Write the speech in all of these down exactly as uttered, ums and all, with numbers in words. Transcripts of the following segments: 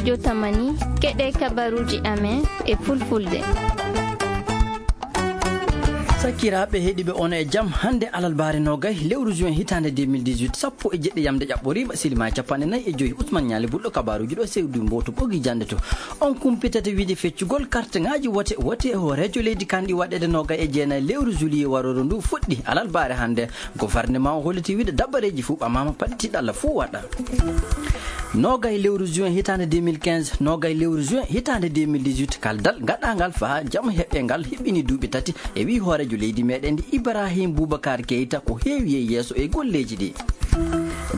Jotamani, keɗee kabaruuji amen e fulfulde. Sakiraaɓe heɗiiɓe, on e jam. Hannde alarbaare noogay lewru juin hitaande deux mille dix-huit, sappo e jeɗɗi yamde ƴaɓɓoriima, silimaa capanɗe nayi e joy. Usman Ñaali Bulɗo, kabaaruuji ɗo sewdi mbootu ɓogi jannde to. On kumpitata wiide feccugol karteŋaaji wote, wote e hooreejo leydi kaan ɗi waɗeede noogay e jeenayi lewru juillet warooru ndu fuɗɗi alarbaare hannde. Gofarnemaa o holliti wiide dabareeji fuu ɓamaama, paɗi tiiɗalla fuu waɗa. Noogay lewru juin hitaande deux mille quinze, noogay lewru juin hitaande deux mille dix-huit, kaldal gaɗaangal faa jam heɓɓe ngal hiɓɓini duuɓi tati e wii hooreejo leydi meeɗen ndi Ibrahim Boubacar Keita ko heewi yey yeeso e golleeji ɗi.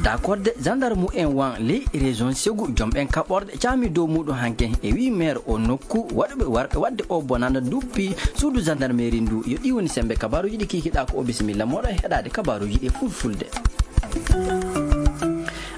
Dakorde gendarme en wan ley région Ségou, jom ɓen kaɓorɗe caami dow muuɗum hanke e wii maire o nokku waɗuɓe warɓe waɗde o bonanda duppi suudu gendarmerie ndu. Yo ɗi woni sembe kabaaruuji ɗi kiikiɗaa ko o. Bisimilla mooɗon heɗaade kabaaruuji ɗi fulfulde.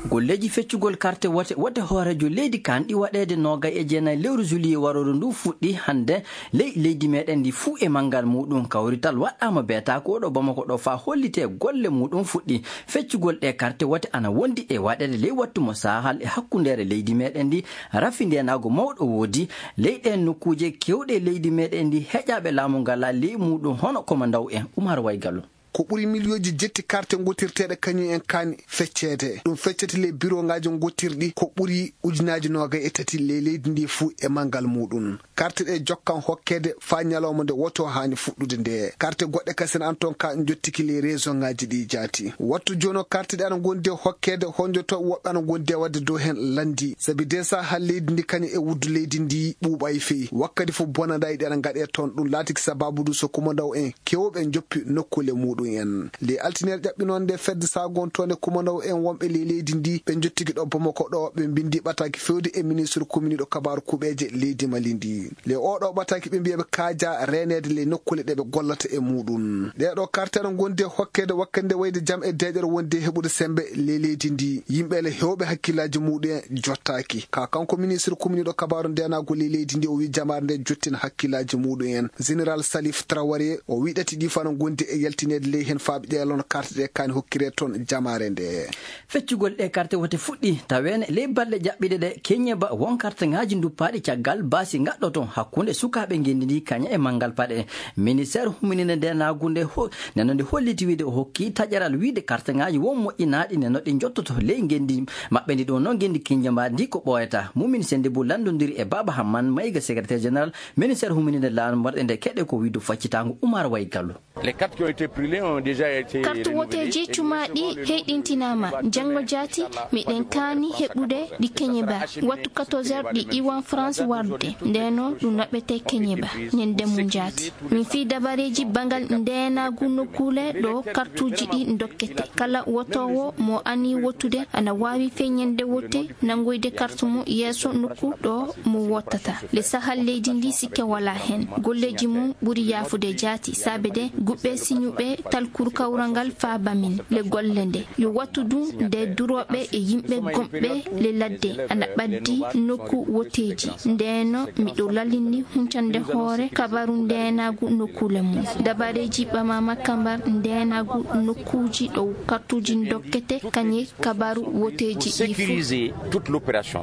Golleeji feccugol karte wote, wote hooreejo leydi kaan ɗi waɗeede noogay e jeenayi lewru juillet warooru ndu fuɗɗi hannde ley leydi meeɗen ndi fuu e manngal muuɗum. Kawrital waɗɗaama beetaako ɗo Bamako ɗo faa hollitee golle muuɗum fuɗɗi. Feccugol ɗee karte wote ana wondi e waɗeede ley wattu mo saahal e hakkundeere leydi meeɗen ndi. Rafi ndeenaagu mawɗo woodi ley ɗeen nokkuuje keewɗe leydi meeɗen ndi. Heƴaaɓe laamu ngalaa ley muuɗum hono komandaw en Umar Waygalu. Ko ɓuri miliyonji jetti karte ngottirteeɗe kañum en kaan fecceede. Ɗum feccete ley birooŋaaji ngottirɗi ko ɓuri ujunaaji noogay e tati ley leydi ndi fuu e manngal muuɗum. Karte ɗe jokkan hokkeede faa ñalawma nde woto haani fuɗɗude nde. Karte goɗɗe kasen an toon ka njottiki ley resoŋaaji ɗi jaati. Wattu jooni o karte ɗe ana ngondi e hokkeede honjoto woɓɓe ana ngondi e waɗde dow heen lanndi. Sabi dee sahaa leydi ndi kañum e wuddu leydi ndi ɓuuɓay fey. Wakkati fof bonandaaji ɗi ana ngaɗee toon. Ɗum laatiki sabaabu du so kumandaw en keewɓe njoppi nokkuule muuɗum en. Ley altineere ƴaɓɓinoonde fedde saagontoonde kumandaw en wonɓe ley leydi ndi ɓe njottiki ɗo Bamako ɗo ɓe mbinndi ɓataake feewde e ministre kominiiɗo kabaaru kuɓeeje leydi Mali ndi. Ley oo ɗoo ɓataake ɓe mbiya ɓe kaajaa reeneede ley nokkuule ɗe ɓe gollata e muuɗum. Ɗee ɗoo karte ana ngondi e hokkeede wakkati nde wayde jam e deeƴere wondi e heɓude semmbe ley leydi ndi. Yimɓe le heewɓe hakkillaaji muuɗum en jottaaki. Ka kanko ministre kominiiɗo kabaaru ndeenaagu ley leydi ndi o wii jamaare nde jottina hakkillaaji muuɗum en. Général Salif Traoré o wii ɗati ɗi fana ngondi e yaltineede ley heen faa ɓe ƴeelon karte ɗe kaani hokkiree toon jamaare nde. Feccugol ɗee karte wote fuɗɗi taweene ley balɗe jaɓɓiɗe ɗe keñeba won karteŋaaji duppaaɗi caggal baasi ngaɗɗo toon hakkunde sukaaɓe ngenndi ndi kaña e manngal paɗe. Ministeer humininde ndeenaagu nde ho-, nde no nde holliti wiide o hokki taƴeral wiide karteŋaaji won moƴƴinaaɗi nde no ɗi njottoto ley ngenndi maɓɓe ndi ɗum noon ngenndi keñeba ndi ko ɓooyataa. Mumin Sennde Bou lanndondiri e Baaba Hamman Mayga, secrétaire général ministeer humininde laamu marɗe nde keɗe ko wiide faccitaango Umar Waygalu. Les cartes qui ont été brûlées ont déjà été renouvelées. Kartu woteeji cumaaɗi heyɗintinaama. Janngo jaati, miɗen kaani heɓude ɗi keñeba. Wattu quatorze heures ɗi iwan France warde. Ndeenoo ɗum naɓetee keñeba. Ñande mum jaati. Min fii dabareeji banngal ndeenaagu nokkuule ɗo kartuuji ɗi ndokkete. Kala wotoowo mo anii wottude ana waawi fee ñande wote nanngoyde kartu mum yeeso nokku ɗo mo wottata. Le sahal leydi ndi sikke walaa heen. Golleeji mum ɓuri yaafude jaati, saabe de guɓɓe siñuɓe talkuru kawral ngal faaba min. Le golle nde yo wattu ɗum nde durooɓe e yimɓe gomɓe le ladde ana ɓaddi nokku woteeji. Ndeenoo miɗo lallini huncande hoore kabaru ndeenaagu nokkuule mum. Dabareeji ɓamaama kambar ndeenaagu nokkuuji ɗo kartuuji ndokkete kañe kabaru woteeji ɗi fuu. Sécuriser toute l'opération.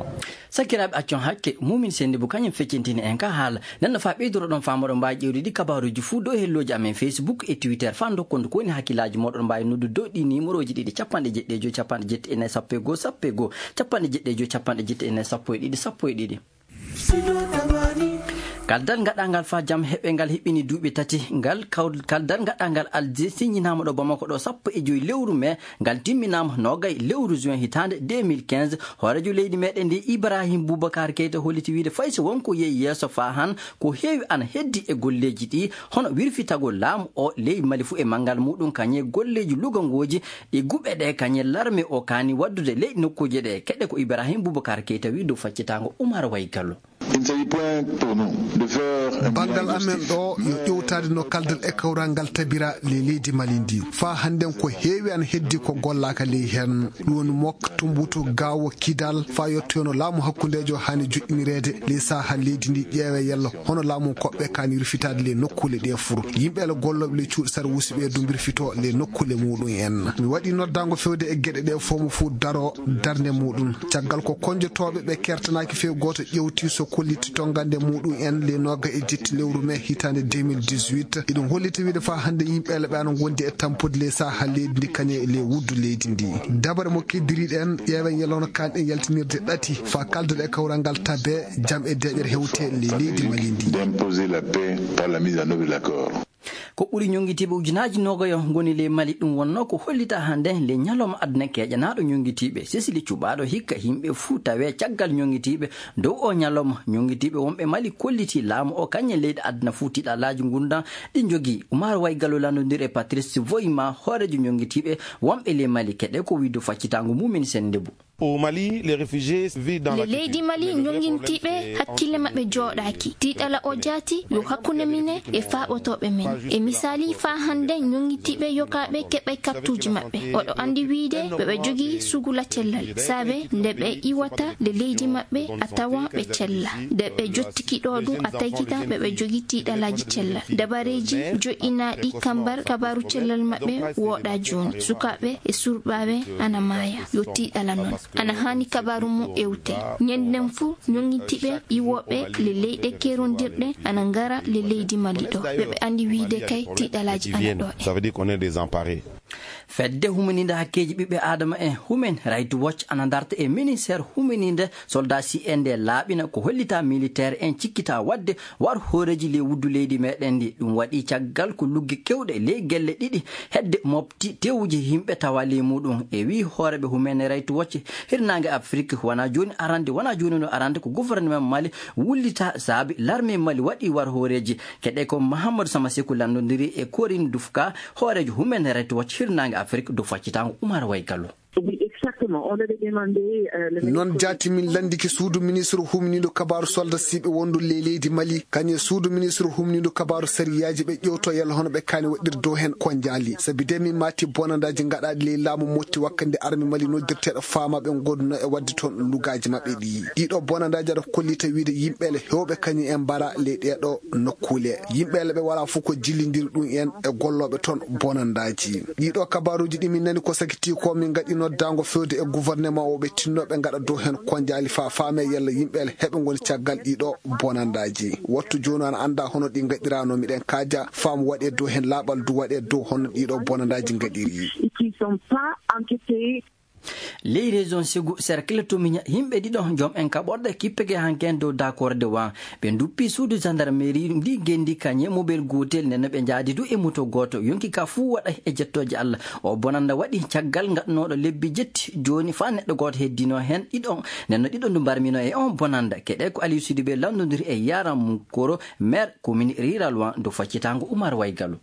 Sakiraaɓe, accon hakke, Mumin Sennde Bou kañum feccintini en ka haala. Nden no faa ɓeydoro ɗon faa moɗon mbaawi ƴeewde ɗi kabaaruuji fuu dow hellooji amen Facebook e Twitter. Faa ndokkon ko woni hakkillaaji mooɗon, mbaawi noddude dow ɗi niimorooji ɗiɗi, capanɗe jeɗɗi e joy, capanɗe jeɗɗi e nayi, sappo e goo, sappo e goo, capanɗe jeɗɗi e joy, capanɗe jeɗɗi e nayi, sappo e ɗiɗi, sappo e ɗiɗi. Kaldal gaɗaangal faa jam heɓɓe ngal hiɓɓini duuɓi tati. Ngal kaw-, kaldal gaɗaangal Alger siññinaama ɗo Bamako ɗo sappo e joy lewru mee. Ngal timminaama noogay lewru juin hitaande deux mille quinze. Hooreejo leydi meeɗen ndi Ibrahim Boubacar Keita holliti wiide fay so won ko yehi yeeso faa han, ko heewi ana heddi e golleeji ɗi, hono wirfitagol laamu o ley Mali fuu e manngal muuɗum, kañe golleeji lugangooji ɗi guɓe ɗe, kañe larme o kaani waɗdude ley nokkuuje ɗe. Keɗe ko Ibrahim Boubacar Keita wii dow faccitaango Umar Waygallo. Banngal amen ɗoo yo ƴeewtaade no kaldal e kawral ngal tabira ley leydi Mali ndii. Faa hannden ko heewi ana heddii ko gollaaka ley heen. Ɗum woni Mok, Tumbutu, Gaawo, Kidal, faa yottoyoo no laamu hakkundeejo haani joɗɗinireede ley sahaa leydi ndii, ƴeewee yalla hono laamu koɓɓe kaani rufitaade ley nokkuule ɗee fur. Yimɓe ele gollooɓe ley cuuɗi sarwuusi ɓee duu mbirfitoo ley nokkuule muuɗum en. Mi waɗii noddaango feewde e geɗe ɗee foo mo fuu daroo darnde muuɗum. Caggal ko konnjotooɓe ɓe keertanaaki fey gooto ƴeewtii so kollitii tonngande muuɗum en ley noogas e jetti lewru mee hitaande deux mille dix-huit, iɗum hollita wiide faa hannde yimɓe ele ɓe ana ngondi e tampude ley sahaa leydi ndii kañum e ley wuddu leydi ndii. Dabare mo keddirii ɗen, ƴeewen yalla hono kaani ɗen yaltinirde ɗati faa kaldal e kawral ngal tabee, jam e deeƴere hewtee ley leydi Mali ndii. D'imposer la paix par la mise en œuvre de l'accord. Ko ɓuri ñonngitiiɓe ujunaaji noogayo ngoni ley Mali. Ɗum wonnoo ko hollitaa hannde ley ñalawma aduna keeƴanaaɗo ñonngitiiɓe. Sesili cuɓaaɗo hikka yimɓe fuu tawee caggal ñonngitiiɓe dow oo ñalawma. Ñonngitiiɓe wonɓe Mali kollitii laamu oo kañum e leyɗe aduna fuu tiiɗalaaji ngurndan ɗi njogii. Umaar Waygalu lanndondiri e Patrice Voyma, hooreejo ñonngitiiɓe wonɓe ley Mali. Keɗee ko o wi'i dow faccitaango mum en sennde bu. Au Mali, les réfugiés vivent dans la... Le leydi Mali, ñonngitiiɓe hakkille maɓɓe jooɗaaki. Tiiɗalla oo jaati yo hakkunde minen e faaɓotooɓe men. E misaali, faa hannde ñonngitiiɓe yogaaɓe keɓay kartuuji maɓɓe. Oɗo anndi wiide ɓe ɓe jogii sugula cellal. Saabe nde ɓe iwata le leydi maɓɓe a tawa ɓe cella. Nde ɓe jottiki ɗoo duu a taykita ɓe ɓe jogii tiiɗallaaji cellal. Dabareeji joɗɗinaaɗi kambar kabaaru cellal maɓɓe wooɗaa jooni. Sukaaɓe e surɓaaɓe ana maaya. Yo tiiɗalla non. Ana haani kabaaru mum ewtee. Ñennden fuu, ñonngitiiɓe iwooɓe le leyɗe keerondirɗe ana ngara le leydi Mali ɗoo. Ɓe ɓe anndi wiide kay tiiɗallaaji ana ɗoo en. Ça veut dire qu'on est désemparés. Fedde humaniinde hakkeeji ɓiɓɓe aadama en, Human Rights Watch, ana darta e ministeer humaniinde soldaasiiɓe ndee laaɓina ko hollitaa militeer en cikkitaa waɗde war hooreeji ley wuddu leydi meeɗen ndii. Ɗum waɗii caggal ko lugge keewɗe ley gelle ɗiɗi hedde mofti teewuji yimɓe tawa ley muuɗum. E wii hooreeɓe Human Rights Watch, hirnaange Afrik wonaa jooni arande, wonaa jooni no arande ko gouvernement Mali wullitaa saabi larmee Mali waɗii war hooreeji. Keɗee ko Mahamadou Sama Seku lanndondiri e Corinne Dufka, hooreejo Human Rights Watch hirnaange Afrik dow faccitaango Umar Waygalu. Oui, exactement. On avait demandé, euh, le... Noon jaati min lanndike suudu ministre humniiɗo kabaaru soldasiiɓe wondu ley leydi Mali, kañum e suudu ministre humniiɗo kabaaru sariyaaji ɓe ƴeewtoo yalla hono ɓe kaani waɗirde dow heen ko njaali. Sabi de min maati bonandaaji gaɗaaɗi ley laamu Motti wakkati nde armée Mali noddirteeɗo faamaaɓe ngondunoo e waɗde toon lugaaji maɓɓe ɗii. Ɗiiɗoo bonandaaji aɗa kollita wiide yimɓe ele heewɓe kañum en mbara ley ɗeeɗoo nokkuule. Yimɓe ele ɓe walaa fof ko jillindiri ɗum en e gollooɓe toon bonandaaji. Ɗiiɗoo kabaaruuji ɗi min nani ko sakitii ko min ngaɗi noddaango feewde e gouvernement o ɓe tinnoo ɓe ngaɗa dow heen ko njaali faa faamee yalla yimɓe ele heɓe ngoni caggal ɗiiɗoo bonandaaji. Wattu jooni ana anndaa hono ɗi ngaɗiraa no miɗen kaaja faa mo waɗee dow heen laaɓal du waɗee dow hono ɗiiɗoo bonandaaji ngaɗiri. Qui sont pas enquêtés. Ley région Ségou, cercle Tomiña, yimɓe ɗiɗo, jom en kaɓorɗe kippike hanki en dow dakorde wa. Ɓe nduppi suudu gendarmerie ndi genndi kañe mobel gootel, nden no ɓe njaadi du e moto gooto. Yonki ka fuu waɗa e jettooje Allah. O bonanda waɗi caggal ngaɗnooɗo lebbi jetti. Jooni faa neɗɗo gooto heddinoo heen ɗiɗo, nden no ɗiɗo ndu mbarminoo e on bonanda. Keɗee ko Aliou Sidibé lanndondiri e Yaram Koro, maire commune rurale wa, dow faccitaango Umar Waygalu.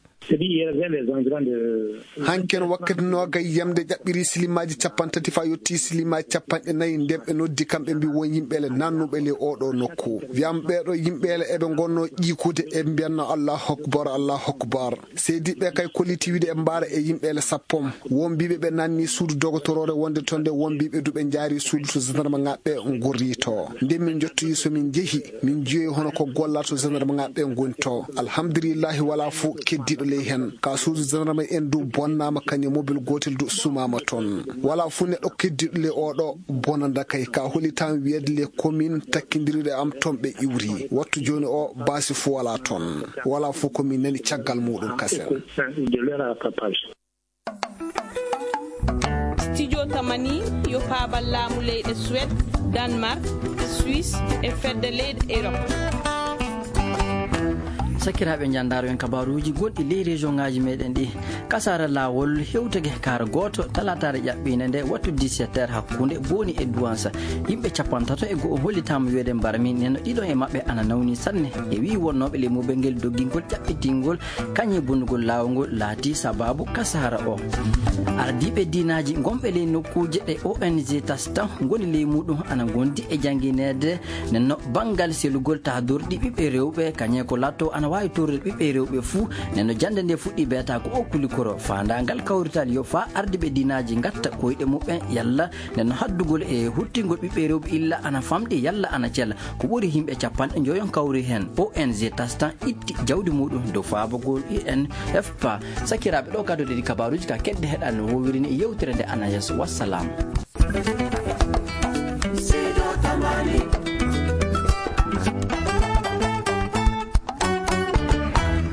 Hanki en wakkati noogay yamde ƴaɓɓirii silimaaji cappanɗe tati faa yottii silimaaji cappanɗe nayi, nden ɓe noddi kam, ɓe mbii won yimɓe ele naannuɓe ley oo ɗoo nokku. Wiyaama ɓee ɗoo yimɓe ele eɓe ngonnoo ƴiikude, eɓe mbiyanno Allahu akbar, Allahu akbar. Seediiɓe ɓee kay kollitii wiide eɓe mbaara e yimɓe ele sappo. Won mbiiɓe ɓe naannii suudu dogotoroore wonde toon nde, won mbiiɓe du ɓe njaarii suudu to gendarmeŋaaɓe ɓee ngorrii too. Nden min njottoyii so min njehii, min njiyoyi hono ko gollaa to gendarmeŋaaɓe ɓee ngoni too. Alhamdulillaahi, walaa fof keddiiɗo ley heen. Kaa suudu gendarme en du bonnaama, kañum e mobel gootel du sumaama toon. Walaa fof neɗɗo keddiiɗo ley oo ɗoo bonanda kay. Kaa hollitaa mi wiyeede les communes takkindiriiɗe am toon ɓe iwri. Wattu jooni oo baasi fof walaa toon. Walaa fof ko min nani caggal muuɗum kasen. Studio Tamani yo paabal laamu leyɗe Suwed, Danmark, Suisse e fedde leyɗe Erop. Sakiraaɓe, njanndaaro en kabaaruuji gonɗi ley region ŋaaji meɗen ɗi. Kasaara laawol hewtake kaara gooto talaataare ƴaɓɓiinde nde wattu dix-sept heures hakkunde Booni e Duwansa. Yimɓe cappantato e go'o hollitaama wiyeede mbarmi, nden no ɗiɗo e maɓɓe ana nawni sanne. E wii wonnooɓe ley mobel ngel doggingol ƴaɓɓitingol kañe bonnugol laawol ngol laati sabaabu kasaara o. Ardiiɓe diinaaji gonɓe ley nokkuuje ɗe O N G tasi tan ngoni ley muuɗum ana ngondi e janngineede. Nden no banngal selugol taadorɗi ɓiɓɓe rewɓe, kañe ko laatoo ana waawi torrude ɓiɓɓe rewɓe fuu. Nden no jannde nde fuɗɗii beetaa ko o kulikoro. Faandaangal kawrital yo faa ardiiɓe diinaaji ngatta koyɗe muɓɓen yalla nden no haddugol e huttingol ɓiɓɓe rewɓe illa ana famɗi yalla ana cela. Ko ɓuri yimɓe cappanɗe njoyon kawri heen. O N G tasi tan itti jawdi muuɗum dow faabagol U N F P A. Sakiraaɓe, ɗo kaddoɗen ɗi kabaaruuji ka keɗde heɗaade no woowiri ni e yewtere nde ana yeeso. Wassalam.